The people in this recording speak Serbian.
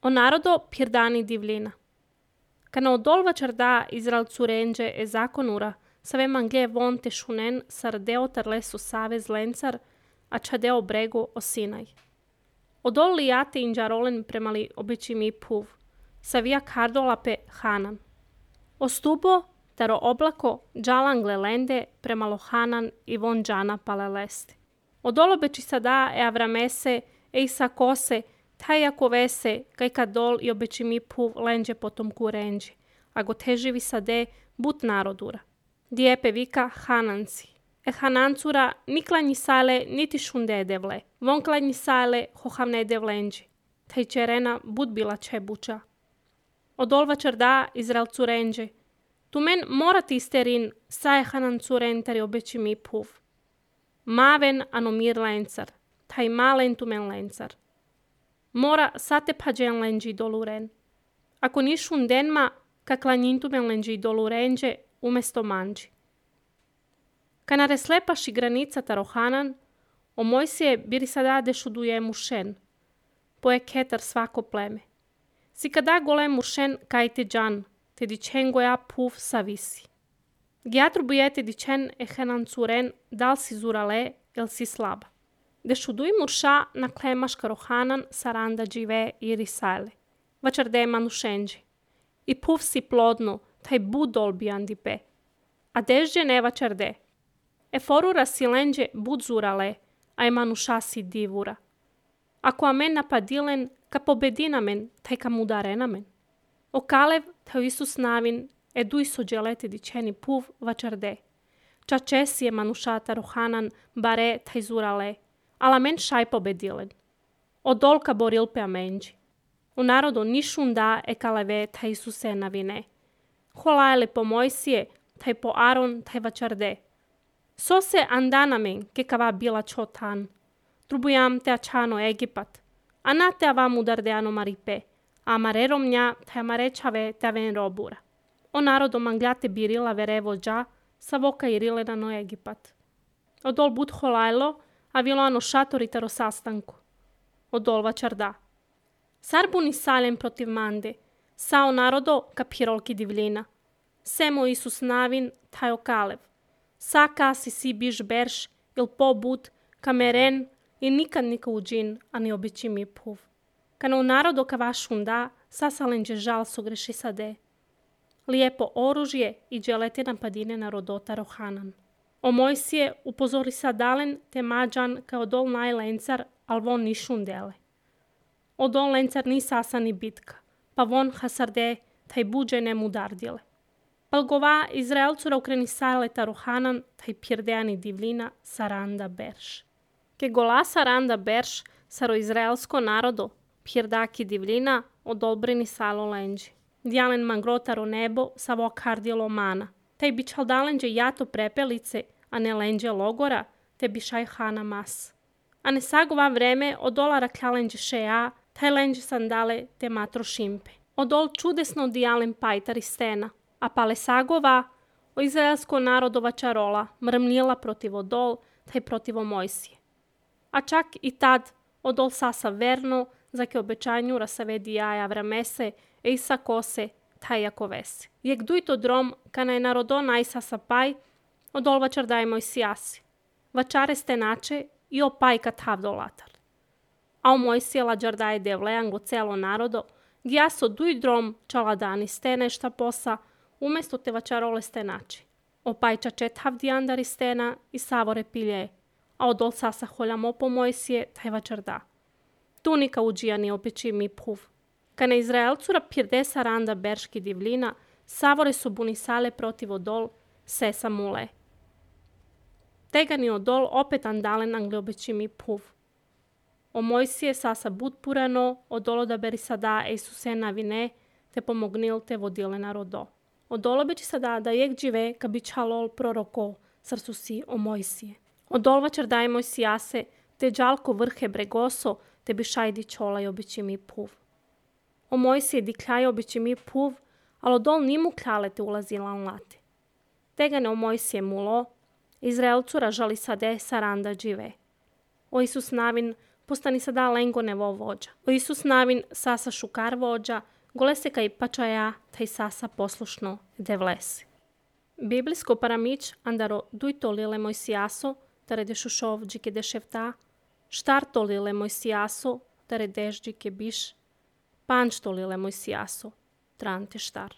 O narodo pirdani divlina. Kana odolva čarda Izrael curenđe e zakonura, save mangle vonte šunen sardeo tarlesu savez lencar, a čadeo brego o Sinaj. Odol lijate inđarolen premali običimi puv, savija kardolape Hanan. Ostubo taro oblako džalangle lende premalo Hanan i von džana paleleste. Odol obeči sada e avramese e isakose, taj jako vese, kaj kadol i obeči puv lenđe potom kurenđi, a go teživi sade but narodura. Dijepe vika Hananci. E Hanancura niklanji sale niti šunde devle, vonklanji sale hohavne devlenđi, taj čerena but bila čebuča. Odolva čarda Izrael curenđe, tu men morati isterin saje Hanancuren tari obeči puv. Maven anomir lencar, taj malen tu men lencar. Mora sate pađen lenđi doluren. Ako nišun denma, kaklanjintu men lenđi dolurenđe umesto manđi. Kana reslepaši granica tarohanan, o Mojsije biri sada dešuduje mušen, poje ketar svako pleme. Si kada gole mušen kaj te džan, te dičen goja puv savisi. Gjatru bujete dičen e Hanancuren dal si zurale, el si slaba. Dešuduj murša na klemaš karohanan saranda džive i risale. Vačarde manušenđi. I puv si plodno, taj budol bijandipe. A dežđe ne vačarde. E forura si lenđe bud zurale, a je manuša si divura. Ako amen napadilen, ka pobedinamen, taj ka mudarenamen. O Kalev, taj Isus navin, eduj sođelete dičeni puv vačarde. Čačesi je manušata rohanan, bare taj zurale, ala men šaj pobedilen. Odolka borilpe amenđi. U narodu nišun da e kaleve taj Isuse navine. Holajle po Mojsije, taj po Aron, taj vačarde. So se andanamen, ke kava bila čotan. Trubujam te ačano Egipat. A te avam udarde ano maripe. A marerom nja, taj amarečave te aven robura. O narodu manglate birila verevo dža, sa voka irile na no Egipat. Odol bud holajlo, a vilo ano šatori taro sastanku. Odol vačarda. Sarbuni salem protiv mande, sao narodo kapirolki divlina. Semo Isus navin, taj okalev. Saka si biš berš, il po bud, kameren, i nikad nika uđin, a ni običi mi puv. Kana u narodo kava šunda, sasalenđe žal so greši sade. Lijepo oružje i dželete napadine na rodota rohanan. O Mojsije upozori sadalen te mađan kao dol najlencar, al von ni šundele. O dol lencar ni sasani bitka, pa von hasarde taj buđe ne mudardile. Palgova Izraelcura ukreni saleta rohanan taj pirdeani divlina saranda berš. Ke gola saranda berš saro izraelsko narodo, pirdaki divlina odolbrini salo lenđi. Djalen mangrotaro nebo sa vokardilo mana. Taj bi čaldalenđe jato prepelice, a ne lenđe logora, te bi šaj hana mas. A ne sagova vreme od dolara kljalenđe šeja, taj lenđe sandale te matro šimpe. Odol čudesno dijalen pajtari stena, a pale sagova o izraelsko narodova čarola mrmnila protiv odol, taj protiv Mojsije. A čak i tad odol sasa verno, za ke obećanju rasavedi jaja vramese, e isa kose, taj jako vese. Jek duj to drom, kana je narodo najsa sapaj, odol vačardaj Mojsijasi. Vačare stenače i opaj katav dolatar. A o Mojsije lađardaje devlejan go celo narodo, gjaso duj drom čaladani stene šta posa, umesto te vačarole stenači. Opaj čačetav dijandari stena i savore pilje, a odol sasa holjamo po Mojsije, taj vačarda. Tunika uđijani opeči mi puv. Kana Izraelcura pirde saranda berški divlina, savore su bunisale protiv odol, sesa mule. Tegani odol opet andalen angle obeči mi puv. O Mojsije sasa bud purano, odolo da beri sada Isuse navine, te pomognil te vodile narodo. Odolo beči sada da jek džive ka bi čalol proroko, srcu si o Mojsije. Odol vačardaj Mojsijase, te džalko vrhe bregoso, te bi šajdi čolaj običi mi puv. O Mojsije dikljaj običi mi puv, ali odol nimu kljale te ulazila late. Tegane o Mojsije mulo, Izraelcura žali sade saranda džive. O Isus navin postani sada lengo nevo vođa. O Isus navin sasa šukar vođa, gole se kaj pačaja, taj sasa poslušno devlesi. Biblijsko paramić andaro duj tolile moj sijaso, tare de šušov džike de ševta, štar tolile moj sijaso, tare dež džike biš, panč tolile moj sijaso, trante štar.